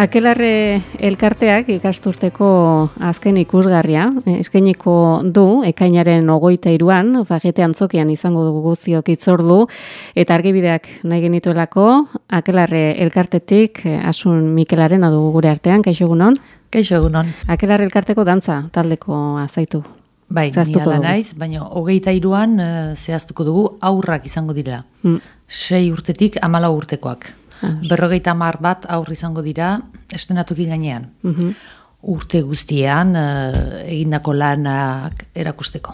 Akelarre elkarteak ikasturteko azken ikusgarria eskainiko du ekainaren 23an Fagete Antzokian izango dugu guztiok hitzordu eta argibideak nahi genituelako Akelarre elkartetik Asun Mikelaren dugu gure artean. Kaixo egunon. Kaixo egunon. Akelarre elkarteko dantza taldeko azaitu. Bai, ni ala naiz, baina 23an zehaztuko dugu aurrak izango dira. 6 urtetik 14 urtekoak. 50 bat aurri izango dira estenatuki gainean. Urte guztian egindako lanak erakusteko.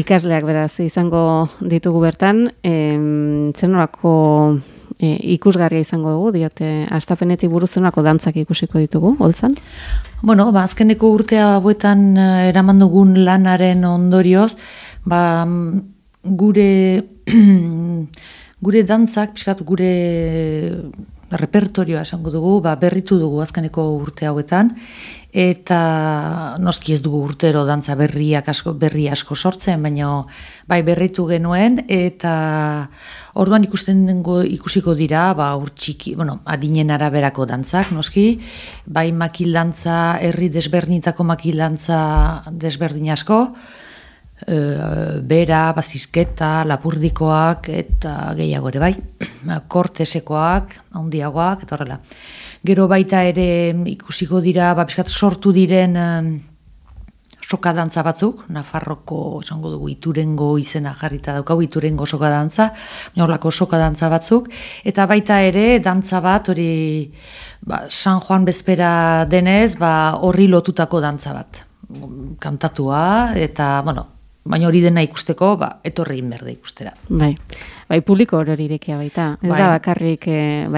Ikasleak beraz izango ditugu bertan, zenolako ikusgarria izango dugu, diote, astapenetik buruz zenolako dantzak ikusiko ditugu, holtzan? Bueno, azkeneko urtea hauetan eraman dugun lanaren ondorioz, gure dantzak, pixkat gure repertorioa esango dugu, berritu dugu azkeneko urte hauetan, eta noski ez dugu urtero dantza berri asko sortzen, baina bai berritu genuen, eta orduan ikusiko dira, urtsiki, adinen araberako dantzak, noski, bai makildantza, herri desberdinetako makildantza desberdin asko, bera, bazizketa, lapurdikoak eta gehiago ere bai, kortesekoak, handiagoak eta horrela. Gero baita ere ikusiko dira, pixkat sortu diren sokadantza batzuk, Nafarroko, esango dugu, Iturengo izena jarrita daukagu, Iturengo sokadantza, horlako sokadantza batzuk, eta baita ere dantza bat, hori San Juan bezpera denez, horri lotutako dantza bat, kantatua, eta, baina hori dena ikusteko, etorri inberde ikustera. Bai, publiko hori irekia baita. Ez da bakarrik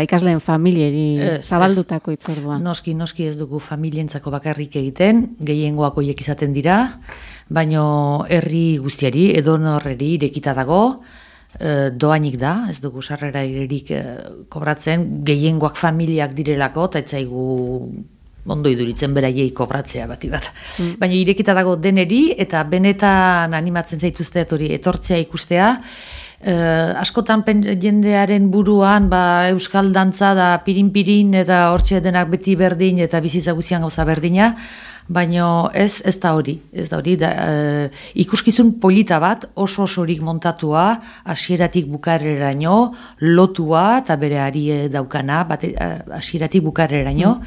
ikasleen familieri zabaldutako hitzordua. Noski ez dugu familientzako bakarrik egiten, gehiengoak horiek izaten dira, baina herri guztiari, edonorreri irekita dago, doainik da, ez dugu sarrera irerik kobratzen, gehiengoak familiak direlako, eta etzaigu ondo iduritzen beraiei kobratzea bati bat. Baina irekita dago deneri eta benetan animatzen zaituzte hori etortzea ikustea. Askotan jendearen buruan euskal dantza da pirin-pirin eta hortxe denak beti berdin eta bizitza guztian gauza berdina, baina ez da hori. Ikuskizun polita bat oso osorik montatua, hasieratik bukarreraino, lotua eta bere ari daukana, hasieratik bukarreraino,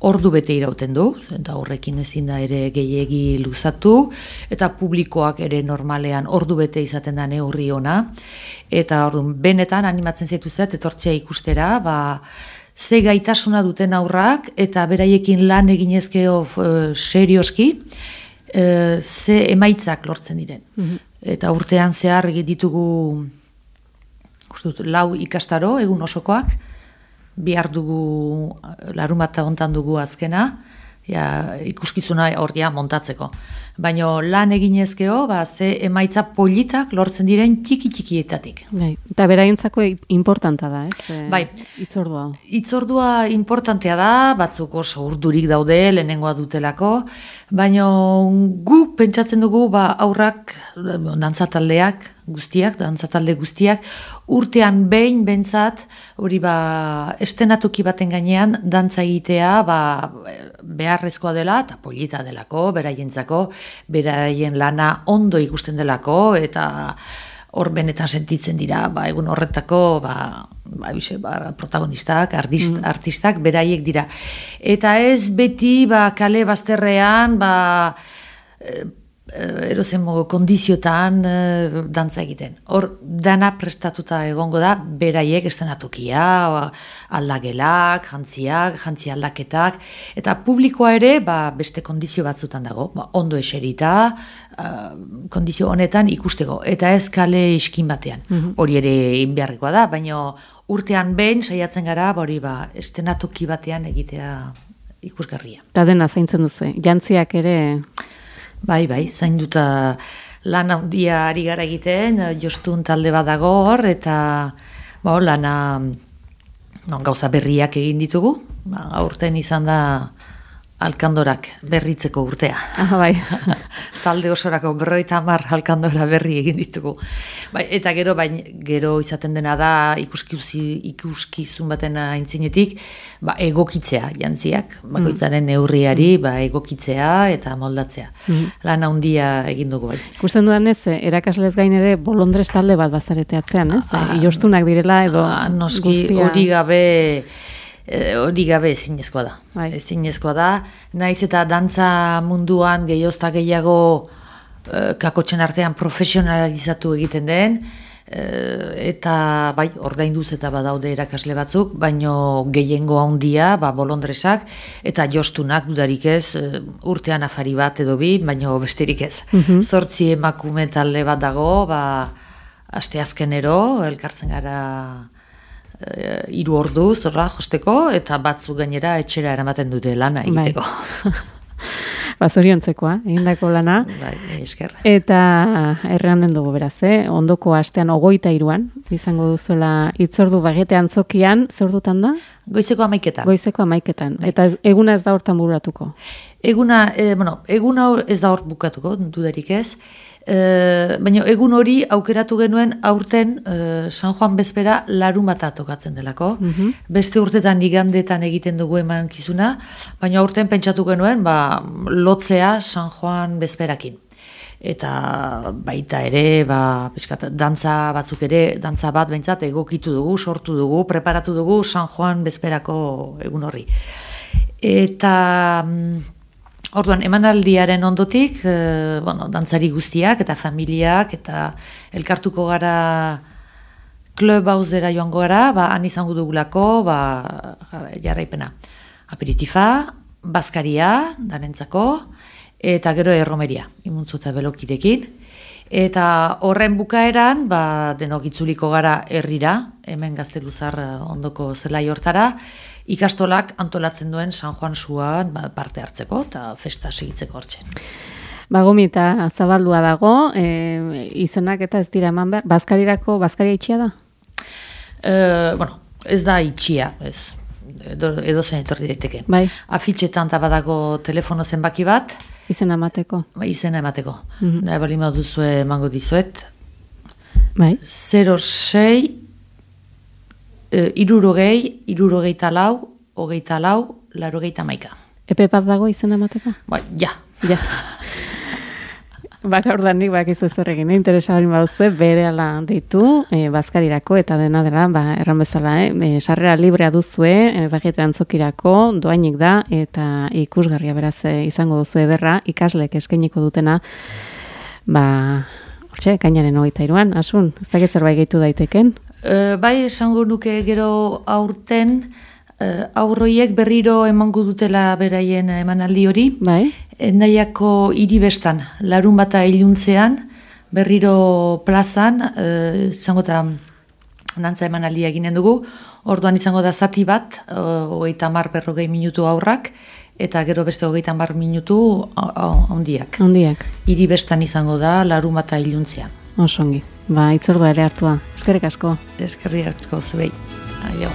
ordu bete irauten du, eta horrekin ezin da ere gehiegi luzatu, eta publikoak ere normalean ordu bete izaten da neurri ona, eta orduan benetan animatzen zaituzet etortzea ikustera, ze gaitasuna duten aurrak, eta beraiekin lan eginezkeo serioski, ze emaitzak lortzen diren. Eta urtean zehar ditugu 4 ikastaro, egun osokoak, bihar dugu, larunbata hontan dugu azkena, ikuskizuna horria montatzeko. Baina lan eginezkeo, ze emaitza politak lortzen diren txiki-txikietatik. Eta beraientzako importanta da, ez? Bai. Hitzordua. Hitzordua importantea da, batzuk oso urdurik daude, lehenengoa dutelako, baina guk pentsatzen dugu aurrak, dantzataldeak guztiak, urtean behin bentsat, hori estenatoki baten gainean, dantza egitea beharrezkoa dela, eta polita delako, beraientzako, beraien lana ondo ikusten delako, eta hor benetan sentitzen dira, egun horretako, protagonistak, artistak, beraiek dira. Eta ez beti, kale bazterrean, erozen kondiziotan dantza egiten. Hor, dana prestatuta egongo da, beraiek estenatokia, aldagelak, jantzi aldaketak, eta publikoa ere, beste kondizio batzutan dago, ondo eserita, kondizio honetan ikusteko, eta ez kale iskin batean. Hori ere inbeharrekoa da, baina urtean behin saiatzen gara, estenatoki batean egitea ikusgarria. Eta dena zaintzen duzu, jantziak ere... Bai, zainduta lan handia ari gara egiten, jostun talde bat dago hor, eta lana gauza berriak egin ditugu. Aurten izan da alkandorak berritzeko urtea. Bai. Talde osorako 50 alkandora berri egin ditugu. Bai, eta gero izaten dena da ikuskizun baten aintzinetik, egokitzea jantziak, bakoitzaren neurriari egokitzea eta moldatzea. Lan handia egin dugu bai. Ikusten dudan ez, erakaslez gain ere bolondrez talde bat bazareteatzean, ez? Iostunak direla edo noski guztia... Hori gabe ezinezkoa da. Bai. Ezinezkoa da. Naiz eta dantza munduan gehiozta gehiago kakotxen artean profesionalizatu egiten den, eta bai, ordainduz eta badaude erakasle batzuk, baino gehiengo handia, bolondresak, eta jostunak dudarik ez, urtean afari bat edo bi, baino besterik ez. 8 emakume talde bat dago, asteazkenero, elkartzen gara 3 ordu zorra josteko, eta batzuk gainera etxera eramaten dute lana egiteko. Zoriontzekoa, egindako lana. Bai, esker. Eta erranen dugu beraz, ondoko astean 23an, izango duzuela hitzordu Bagete Antzokian, zer ordutan da? Goizeko 11etan. Goizeko 11etan. Eta eguna ez da hortan buratuko? Eguna ez da hor bukatuko, dudarik ez. Baina egun hori aukeratu genuen aurten San Juan bezpera larunbata tokatzen delako. Beste urtetan igandetan egiten dugu emankizuna, baina aurten pentsatu genuen lotzea San Juan bezperakin. Eta baita ere, dantza batzuk ere, dantza bat behintzat egokitu dugu, sortu dugu, preparatu dugu San Juan bezperako egun horri. Eta... Orduan, emanaldiaren ondotik, dantzari guztiak eta familiak eta elkartuko gara klub hauzera joango gara, han izango dugulako, jarraipena. Aperitifa, bazkaria, danentzako, eta gero erromeria, imuntzu eta belokidekin. Eta horren bukaeran, denok itzuliko gara herrira, hemen Gazteluzar ondoko zelai hortara, ikastolak antolatzen duen San Juan Suan parte hartzeko eta festa segitzeko hortzen. Gomi eta zabaldua dago, izenak eta ez dira eman behar, bazkaria itxia da? Ez da itxia, ez. Edo zen etorri daiteke. Bai. Afitxetan badago telefono zenbaki bat. Izena emateko. Izena emateko. Nahi bali duzue emango dizuet. Bai. 06 irurogeita lau, 84, Epe bat dago izena emateko? Ja. Ordanik bakizu zer egin, interesa hori baduzu, berehala deitu, bazkarirako eta dena dela, erran bezala, sarrera librea duzue, Bagete Antzokirako, doainik da, eta ikusgarria beraz izango duzu ederra, ikaslek eskainiko dutena, hortxe, kainaren 23an, asun, ez dakit zerbait gehitu daiteken? Bai, esango nuke gero aurten, aurroiek berriro emango dutela beraien emanaldi hori. Bai. Endaiako hiribestan, larunbata iluntzean, berriro plazan, izango da dantza emanaldia eginen dugu, orduan izango da zati bat, 30-40 minutu aurrak, eta gero beste 30 minutu handiak. Hiribestan izango da larunbata iluntzean. Osongi. Itzordua ere hartua. Eskerrik asko. Eskerrik asko zuei. Aio.